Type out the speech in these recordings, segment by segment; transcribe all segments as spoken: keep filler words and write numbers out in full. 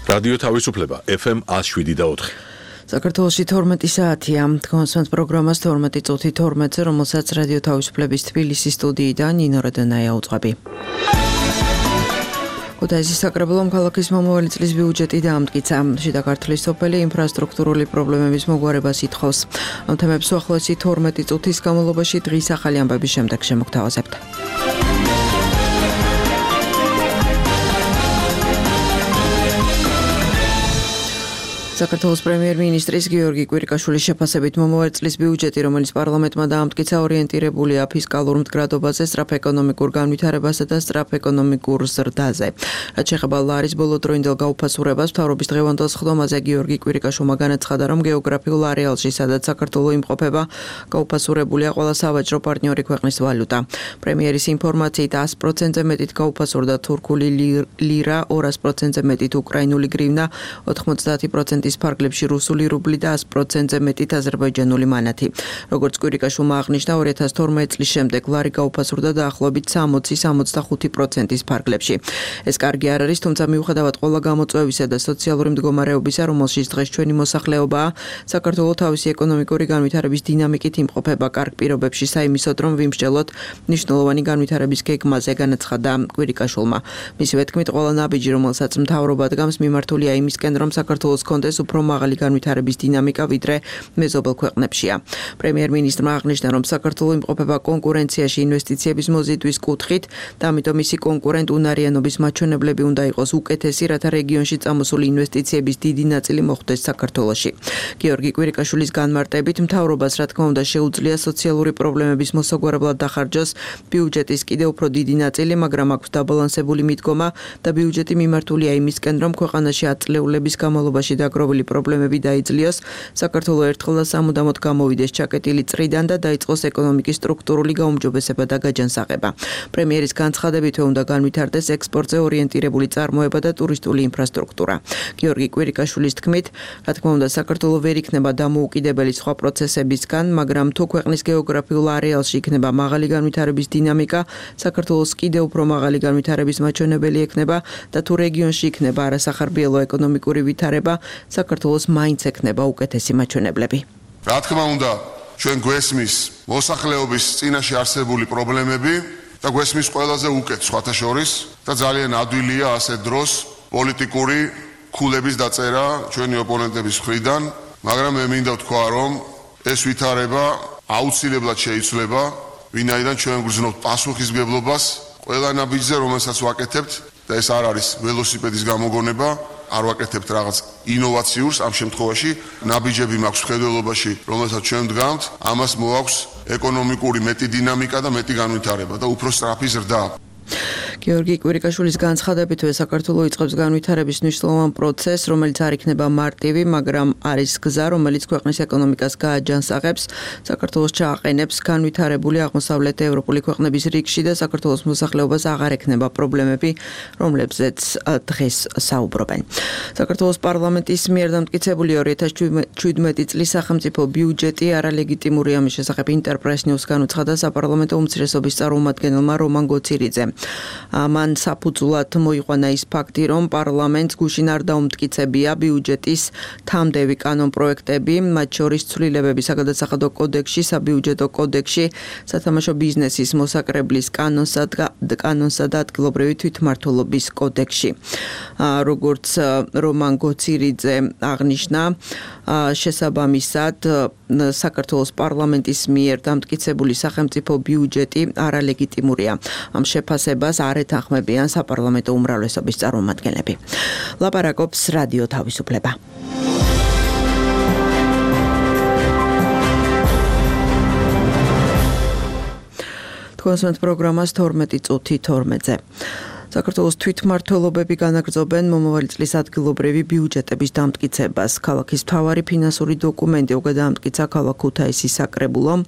რადიო თავისუფლება ეფ ემ ათს შვიდი და ოთხი. საქართველოში თორმეტი საათია. თქვენს პროგრამას თორმეტი წუთი თორმეტზე, რომელსაც რადიო თავისუფლების თბილისის სტუდიიდან ნინო როდანაია უწყები. ქუთაისის საკრებულომ ქალაქის მომავალი წლის ბიუჯეტი დაამტკიცა. შიდა ქართლის სოფელი ინფრასტრუქტურული პრობლემების მოგვარებას ითხოვს. ამ თემებს უახლოესი თორმეტი წუთის განმავლობაში დღის ახალი ამბების შემდეგ შემოგთავაზებთ. საქართველოს პრემიერ-მინისტრის გიორგი კვირიკაშვილის შეფასებით მომავალი წლის ბიუჯეტი, რომელიც პარლამენტმა დაამტკიცა, ორიენტირებულია ფისკალურ მდგრადობაზე, სწრაფ ეკონომიკურ განვითარებასა და სწრაფ ეკონომიკურ ზრდაზე. რაც შეეხება ლარის ბოლოდროინდელ გაუფასურებას, მთავრობის დღევანდელ სხდომაზე გიორგი კვირიკაშვილმა განაცხადა, რომ გეოგრაფიულ არეალში, სადაც საქართველო იმყოფება, გაუფასურებულია ყველა სავაჭრო პარტნიორი ქვეყნის ვალუტა. პრემიერის ინფორმაციით ას პროცენტზე მეტით გაუფასურდა თურქული ლირა, ორას პროცენტზე მეტით უკრაინული გრივნა, ოთხმოცდაათი პროცენტი ის ფარგლებში რუსული რუბლი და ას პროცენტზე მეტით აზერბაიჯანული მანათი. როგორც კვირიკაშვილმა აღნიშნა, ორი ათას თორმეტ წლის შემდეგ ლარი გაუფასურდა დაახლოებით სამოცი სამოცდახუთი პროცენტის ფარგლებში. ეს კარგი არ არის, თუმცა მიუხედავად ყველა გამოწვევისა და სოციალური მდგომარეობისა, რომელშიც დღეს ჩვენი მოსახლეობაა, საქართველო თავისი ეკონომიკური განვითარების დინამიკით იმყოფება კარგ პირობებში საიმისოდ, რომ ვიმსჯელოთ მნიშვნელოვანი განვითარების გეგმაზე, განაცხადა კვირიკაშვილმა. მისივე თქმით, ყველა ნაბიჯი, რომელსაც მთავრობა დგამს, მიმართულია იმისკენ, რომ საქართველოს კონდეს უფრო მაღალი განვითარების დინამიკა, ვიდრე მეზობელ ქვეყნებშია. პრემიერ-მინისტრმა აღნიშნა, რომ საქართველო იმყოფება კონკურენციაში ინვესტიციების მოზიდვის კუთხით და ამიტომ მისი კონკურენტ უნარიანობის მაჩვენებლები უნდა იყოს უკეთესი, რათა რეგიონში წამოსული ინვესტიციების დიდი ნაწილი მოხვდეს საქართველოში. გიორგი კვირიკაშვილის განმარტებით, მთავრობას რა თქმა უნდა შეუძლია სოციალური პრობლემების მოსაგვარებლად დახარჯოს ბიუჯეტის კიდევ უფრო დიდი ნაწილი, მაგრამ აქვს დაბალანსებული მიდგომა და ბიუჯეტი მიმართულია იმისკენ, რომ ქვეყანაში ათწლეულების განმავლობაში დაგროვილი პრობლემები დაიძლიოს, საქართველო ერთხელ და სამუდამოდ გამოვიდეს ჩაკეტილი წრიდან და დაიწყოს ეკონომიკის სტრუქტურული გაუმჯობესება და გაჯანსაღება. პრემიერის განცხადებითვე უნდა განვითარდეს ექსპორტზე ორიენტირებული წარმოება და ტურისტული ინფრასტრუქტურა. გიორგი კვირიკაშვილის თქმით, რა თქმა უნდა, საქართველო ვერ იქნება დამოუკიდებელი სხვა პროცესებისგან, მაგრამ თუ ქვეყნის გეოგრაფიულ არეალში იქნება მაღალი განვითარების დინამიკა, საქართველოს კიდევ უფრო მაღალი განვითარების მაჩვენებელი ექნება და თუ რეგიონში იქნება არასახარბიელო ეკონომიკური ვითარება, საქართველოს მაინც ექნება უკეთესი მაჩვენებლები. რა თქმა უნდა, ჩვენ გვესმის მოსახლეობის წინაშე არსებული პრობლემები და გვესმის ყველაზე უკეთ სხვათა შორის და ძალიან ადვილია ასეთ დროს პოლიტიკური ქულების დაწერა ჩვენი ოპონენტების მხრიდან, მაგრამ მე მინდა ვთქვა, რომ ეს ვითარება აუცილებლად შეიცვლება, ვინაიდან ჩვენ გვგრძნობთ პასუხისმგებლობას ყველა ნაბიჯზე, რომელსაც ვაკეთებთ და ეს არ არის ველოსიპედის გამოგონება. არ ვაკეთებთ რაღაც ინოვაციურს, ამ შემთხვევაში ნაბიჯები მაქვს მხედველობაში, რომელსაც ჩვენ ვდგამთ, ამას მოაქვს ეკონომიკური მეტი დინამიკა და მეტი განვითარება და უფრო სწრაფი ზრდა. გიორგი კვირიკაშვილის განცხადებითვე საქართველო იწყებს განვითარების მნიშვნელოვან პროცესს, რომელიც არ იქნება მარტივი, მაგრამ არის გზა, რომელიც ქვეყნის ეკონომიკას გააჯანსაღებს, საქართველოს ჩააყენებს განვითარებული აღმოსავლეთ ევროპული ქვეყნების რიგში და საქართველოს მოსახლეობას აღარ ექნება პრობლემები, რომლებზეც დღეს საუბრობენ. საქართველოს პარლამენტის მიერ დამტკიცებული ორი ათას შვიდმეტი წლის სახელმწიფო ბიუჯეტი არალეგიტიმურია, ამის შესახებ ინტერპრეს ნიუს განუცხადა საპარლამენტო უმცირესობის წარმომადგენელმა რომან გოცირიძემ. მან საფუძვლად მოიყვანა ის ფაქტი, რომ პარლამენტს გუშინ არ დაუმტკიცებია ბიუჯეტის თამდევი კანონპროექტები, მათ შორის ცვლილებები საგადასახადო კოდექსში, საბიუჯეტო კოდექსში, სათამაშო ბიზნესის მოსაკრებლის კანონსა და ადგილობრივი თვითმმართველობის კოდექსში. როგორც რომან გოცირიძე აღნიშნა, შესაბამისად საქართველოს პარლამენტის მიერ დამტკიცებული სახელმწიფო ბიუჯეტი არალეგიტიმურია. ამ შეფასებას არ ეთანხმებიან საპარლამენტო უმრავლესობის წარმომადგენლები. ლაპარაკობს რადიო თავისუფლება. თქვენს პროგრამას თორმეტი წუთი თორმეტზე. საქართველოს თვითმმართველობები განაგრძობენ მომავალი წლის ადგილობრივი ბიუჯეტების დამტკიცებას. ქალაქის მთავარი ფინანსური დოკუმენტი უკვე დაამტკიცა ქალაქ ქუთაისის საკრებულომ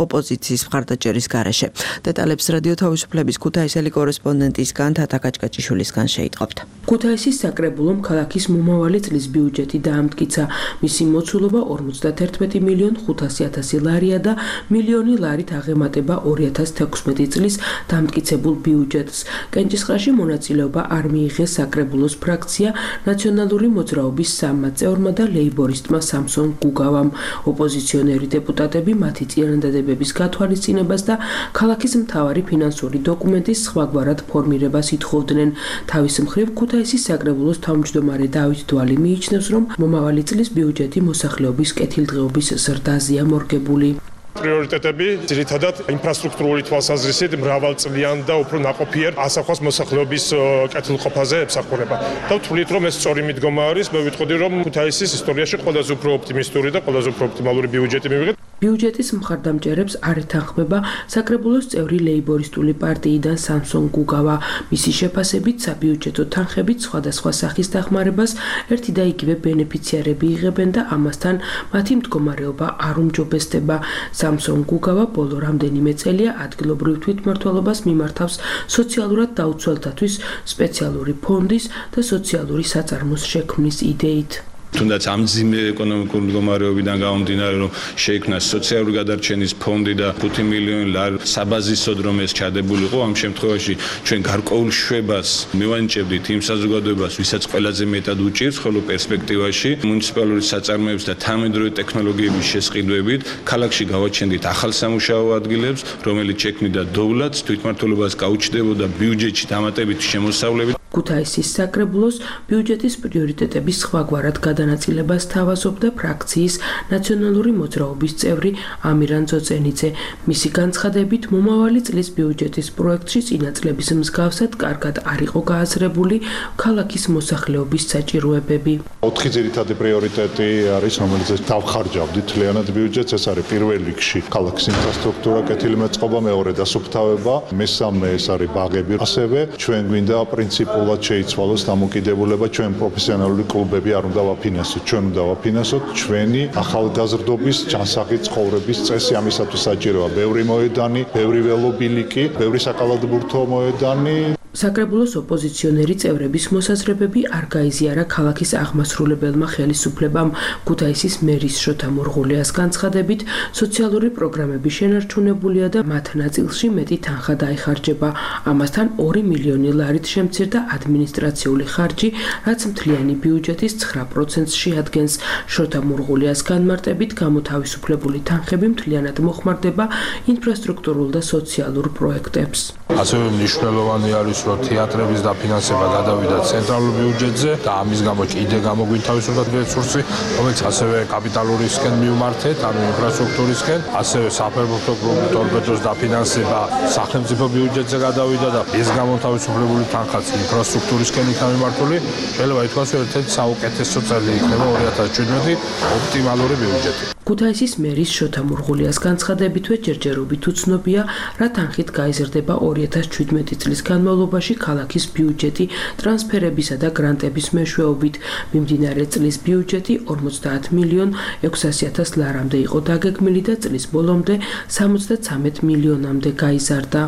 ოპოზიციის მხარდაჭერის გარეშე. დეტალებს რადიო თავისუფლების ქუთაისელი კორესპონდენტისგან თათა კაჭკაჭიშვილისგან შეიტყობთ. ქუთაისის საკრებულომ ქალაქის მომავალი წლის ბიუჯეტი დაამტკიცა. მისი მოცულობა ორმოცდაერთმეტი მილიონ ხუთასი ათასი ლარია და მილიონი ლარით აღემატება ორი ათას თექვსმეტი წლის დამტკიცებულ ბიუჯეტს. კენჭისყრაში სესიაში მონაწილეობა არ მიიღეს საკრებულოს ფრაქცია ნაციონალური მოძრაობის სამმა წევრმა და ლეიბორისტმა სამსონ გუგავამ. ოპოზიციონერი დეპუტატები მათი წინადადებების გათვალისწინებას და ქალაქის მთავარი ფინანსური დოკუმენტის სხვაგვარად ფორმირებას ითხოვდნენ. თავის მხრივ ქუთაისის საკრებულოს თავმჯდომარე დავით დვალი მიიჩნევს, რომ მომავალი წლის ბიუჯეტი მოსახლეობის კეთილდღეობის ზრდაზეა მორგებული. პრიორიტეტები ძირითადად ინფრასტრუქტურული თვალსაზრისით მრავალწლიან და უფრო ნაყოფიერ ასახავს მოსახლეობის კეთილყოფაზე ემსახურება. და ვთვლით, რომ ეს სწორი მიდგომა არის. მე ვიტყოდი, რომ ქუთაისის ისტორიაში ყველაზე უფრო ოპტიმისტური და ყველაზე უფრო ოპტიმალური ბიუჯეტი მივიღეთ. ბიუჯეტის მხარდამჭერებს არ ეთანხმება საკრებულოს წევრი ლეიბორისტული პარტიიდან სამსონ გუგავა. მისი შეფასებით, საბიუჯეტო თანხებით სხვადასხვა სახის დახმარებას ერთი და იგივე ბენეფიციარები იღებენ და ამასთან მათი მდგომარეობა არ უმჯობესდება. სამსონ გუგავა ბოლო რამდენიმე წელია ადგილობრივ თვითმმართველობას მიმართავს სოციალურად დაუცველთათვის სპეციალური ფონდის და სოციალური საწარმოს შექმნის იდეით. თუნდაც ამ ძიმე ეკონომიკური მდგომარეობიდან გამომდინარე, რომ შეიქმნა სოციალური გადარჩენის ფონდი და ხუთი მილიონი ლარი საბაზისოდ რომ ეს ჩადებულიყო, ამ შემთხვევაში ჩვენ გარკვეულ შვებას მივანიჭებდით იმ საზოგადოებას, ვისაც ყველაზე მეტად უჭირს, ხოლო პერსპექტივაში მუნიციპალური საწარმოების და თანამედროვე ტექნოლოგიების შესყიდვებით ქალაქში გავაჩენდით ახალ სამუშაო ადგილებს, რომელიც შექმნიდა დოვლათს, თვითმმართველობას გაუჩნდებოდა ბიუჯეტში დამატებითი შემოსავლებით. ქუთაისის საკრებულოს ბიუჯეტის პრიორიტეტების სხვაგვარად გადანაწილებას თავაზობდა ფრაქციის ნაციონალური მოძრაობის წევრი ამირან ძოწენიძე. მისი განცხადებით, მომავალი წლის ბიუჯეტის პროექტში წინა წლების მსგავსად კარგად არ იყო გააზრებული ქალაქის მოსახლეობის საჭიროებები. ოთხი ძირითადი პრიორიტეტი არის, რომელიც დავხარჯავდით თლიანად ბიუჯეტს. ეს არის პირველ რიგში ქალაქის ინფრასტრუქტურა, კეთილმოწყობა, მეორე დასუფთავება, მესამე ეს არის ბაღები. ასევე ჩვენ გვინდა პრინციპ შეიცვალოს დამოკიდებულება, ჩვენ პროფესიონალური კლუბები არ უნდა ვაფინანსოთ, ჩვენ უნდა ვაფინანსოთ ჩვენი ახალგაზრდობის ჯანსაღი ცხოვრების წესი. ამისათვის საჭიროა ბევრი მოედანი, ბევრი ველობილიკი, ბევრი საკალათბურთო მოედანი. საკრებულოს ოპოზიციონერი წევრების მოსაზრებები არ გაიზიარა ქალაქის აღმასრულებელმა ხელისუფლებამ. ქუთაისის მერის შოთა მურღულიას განცხადებით, სოციალური პროგრამები შენარჩუნებულია და მათ ნაწილში მეტი თანხა დაიხარჯება. ამასთან ორი მილიონი ლარით შემცირდა ადმინისტრაციული ხარჯი, რაც მთლიანი ბიუჯეტის ცხრა პროცენტს შეადგენს. შოთა მურღულიას განმარტებით, გამოთავისუფლებული თანხები მთლიანად მოხმარდება ინფრასტრუქტურულ და სოციალურ პროექტებს. ასევე მნიშვნელოვანი არის, რომ თეატრების დაფინანსება გადავიდა ცენტრალურ ბიუჯეტზე და ამის გამო კიდე გამოგვინთავისუფლდა რესურსი, რომელიც ასევე კაპიტალურისკენ მივმართეთ, ანუ ინფრასტრუქტურისკენ, ასევე საფეხბურთო კლუბ ტორპედოს დაფინანსება სახელმწიფო ბიუჯეტზე გადავიდა და ეს გამოთავისუფლებული თანხაც ინფრასტრუქტურისკენ იქნა მიმართული. შეიძლება ითქვას, რომ ერთ-ერთი საუკეთესო წელი იქნება ორი ათას შვიდმეტი ოპტიმალური ბიუჯეტი. ქუთაისის მერის შოთა მურღულიას განცხადებითვე ჯერჯერობით უცნობია, რა თანხით გაიზრდება ორი ათას შვიდმეტი წლის განმავლობაში ქალაქის ბიუჯეტი ტრანსფერებისა და გრანტების მეშვეობით. მიმდინარე წლის ბიუჯეტი ორმოცდაათ მილიონ ექვსასი ათას ლარამდე იყო დაგეგმილი და წლის ბოლომდე სამოცდაცამეტ მილიონამდე გაიზარდა.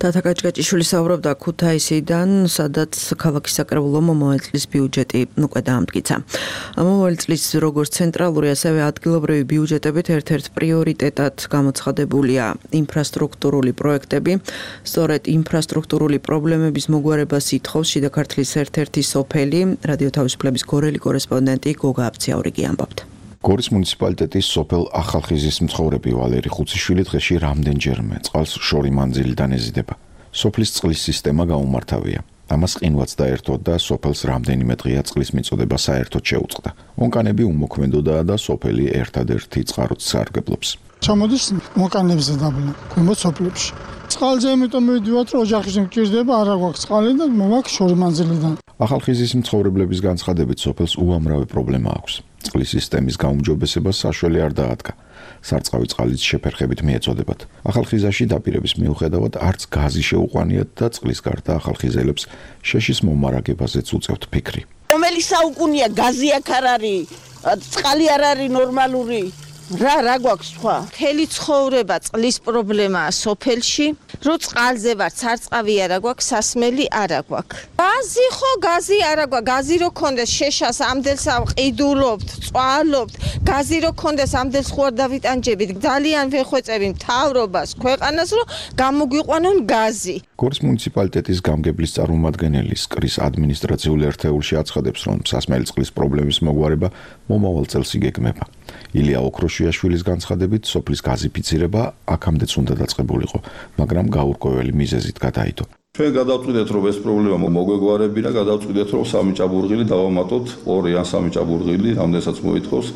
თათა კაჭკაჭიშვილი საუბრობდა ქუთაისიდან, სადაც ქალაქის საკრებულო მომავალი წლის ბიუჯეტი უკვე დაამტკიცა. მომავალი წლის როგორც ცენტრალური, ასევე ადგილობრივი ბიუჯეტებით ერთ-ერთ პრიორიტეტად გამოცხადებულია ინფრასტრუქტურული პროექტები. სწორედ ინფრასტრუქტურული პრობლემების მოგვარებას ითხოვს შიდა ქართლის ერთ-ერთი სოფელი, რადიო თავისუფლების გორელი კორესპონდენტი გოგა აბციაურიგი ამბობთ. გორის მუნიციპალიტეტის სოფელ ახალხიზის მცხოვრები ვალერი ხუციშვილი დღეში რამდენჯერმე წყალს შორი მანძილიდან ეზიდება. სოფლის წყლის სისტემა გაუმართავია. ამას ყინვაც დაერთო და სოფელს რამდენიმე დღეა წყლის მიწოდება საერთოდ შეუწყდა. ონკანები უმოქმედოდაა და სოფელი ერთადერთი წყაროც სარგებლობს. ჩამოდის მოკანებზე დაბლა, ქვემოთ სოფლებში. წყალზე იმიტომ მივიდივართ, რომ ოჯახის მკირდება, არა გვაქვს წყალი და მომაქვს შორი მანძილიდან. ახალხიზის მცხოვრებლების განცხადებით სოფელს უამრავი პრობლემა აქვს. წყლის სისტემის გაუმჯობესებას საშველი არ დაადგა. სარწყავი წყალიც შეფერხებით მიეწოდებათ. ახალხიზაში დაპირების მიუხედავად არც გაზი შეუყვანიათ და წყლის გარდა ახალხიზელებს შეშის მომარაგებაზეც უწევთ ფიქრი. რომელი საუკუნეა გაზი აქ არ არის, წყალი არ არის ნორმალური. რა რა გვაქვს სხვა? მთელი ცხოვრება წყლის პრობლემაა სოფელში. რო წყალზე ვარ, სარწყავი არა გვაქვს, სასმელი არა გვაქვს. გაზი ხო, გაზი არა გვაქვს. გაზი რო კონდეს შეშას ამდელს ყიდულობთ, წვალობთ. გაზი რო კონდეს ამდელს ხო არ დავიტანჯებით. ძალიან ვეხვეწები მთავრობას, ქვეყანას, რომ გამოგვიყვანონ გაზი. გორის მუნიციპალიტეტის გამგებლის წარმომადგენელი სკრის ადმინისტრაციული ერთეულში აცხადებს, რომ სასმელი წყლის პრობლემის მოგვარება მომავალ წელს იგეგმება. ილია ოქროშიაშვილის განცხადებით, სოფლის გაზიფიცირება აქამდეც უნდა დაწყებულიყო, მაგრამ გაურკვეველი მიზეზით გადაიდო. ჩვენ გადავწყვიტეთ, რომ ეს პრობლემა მოგვეგვარებინა, გადავწყვიტეთ, რომ სამი ჭაბურღილი დავამატოთ, ორი ან სამი ჭაბურღილი, რამდენსაც მოითხოვს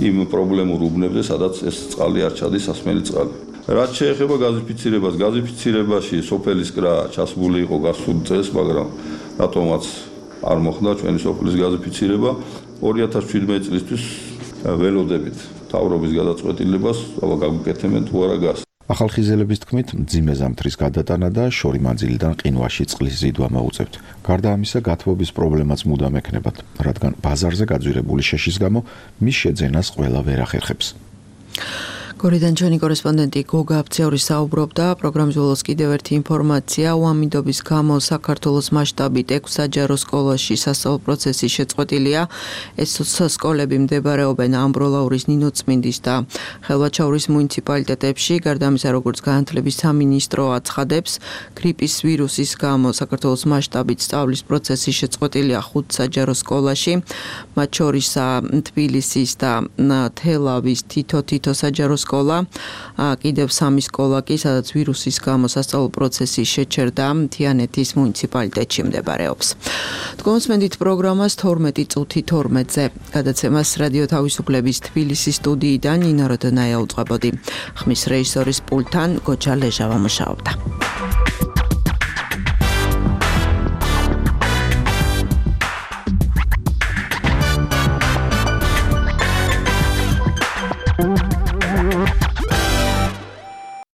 იმ პრობლემურ უბნებზე, სადაც ეს წყალი არ ჩადის, სასმელი წყალი. რაც შეეხება გაზიფიცირებას, გაზიფიცირებაში სოფელის კრა ჩასმული იყო გასულ წელს, მაგრამ რატომაც არ მოხდა ჩვენი სოფლის გაზიფიცირება ორი ათას შვიდმეტი წლისთვის ველოდებით თავრობის გადაწყვეტილებას, აბა გაგვიკეთებენ თუ არა გას. ახალხიზელების თქმით, მძიმე ზამთრის გადატანა და შორი მანძილიდან ყინვაში წყლის ზიდვა მოუწევთ. გარდა ამისა, გათბობის პრობლემაც მუდამ ექნებათ, რადგან ბაზარზე გაძვირებული შეშის გამო მის შეძენას ყველა ვერ ახერხებს. გორიდან ჩვენი კორესპონდენტი გოგა აფციური საუბრობდა. პროგრამის ბოლოს კიდევ ერთი ინფორმაცია. უამინდობის გამო საქართველოს მასშტაბით ექვს საჯარო სკოლაში სასწავლო პროცესი შეწყვეტილია. ეს სკოლები მდებარეობენ ამბროლაურის, ნინოწმინდის და ხელვაჩაურის მუნიციპალიტეტებში. გარდა ამისა, როგორც განათლების სამინისტრო აცხადებს, გრიპის ვირუსის გამო საქართველოს მასშტაბით სწავლის პროცესი შეწყვეტილია ხუთ საჯარო სკოლაში. მათ შორისაა თბილისის და თელავის თითო-თითო საჯარო სკოლა. კიდევ სამი სკოლა კი, სადაც ვირუსის გამო სასწავლო პროცესი შეჩერდა, თიანეთის მუნიციპალიტეტში მდებარეობს. თქვენსმენდით პროგრამას თორმეტი წუთი თორმეტზე. გადაცემას რადიო თავისუფლების თბილისის სტუდიიდან ნინა როდონაია უწყებოდი. ხმის რეჟისორის პულტთან გოჩა ლეჟავა მუშაობდა.